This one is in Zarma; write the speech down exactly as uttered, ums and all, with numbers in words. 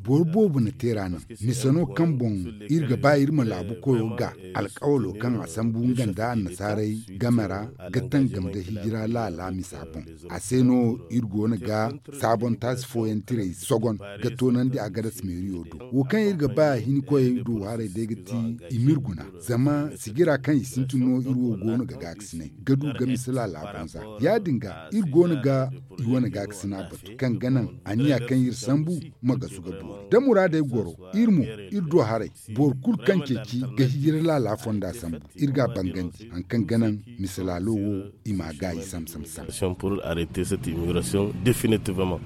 Boro boobo na teera naŋ mise no kaŋ boŋ iri ga ba iri ma laabu koyo ga alkawalo kaŋ a sambu nga nda annasaarey game ra ga tangam nda hijira laala misa boŋ. A se no iri go no ga saabon taasi fooyaŋ tiray sogon ga toonandi a ga dasa meeriyo do wo kaŋ iri ga ba hinkoyey do haray day ga ti i m'iri guna. Zama sijira kaŋ i sintin no iri wo go no ga gaakasinay ga du ga mise laala banza. Ya- din ga iri go no ga i wane gaakasina batu kaŋ ga naŋ aniya kaŋ iri sambu ma gasu ga boori da muraadey goro. Iri mo iri do haray boro kulu kaŋ ceeci ga hijira laala fonda sambu iri ga a bangandi hari kaŋ ga naŋ mise laalo wo i m'a gaayi sam sam sam. Pour arrêter cette immigration définitivement.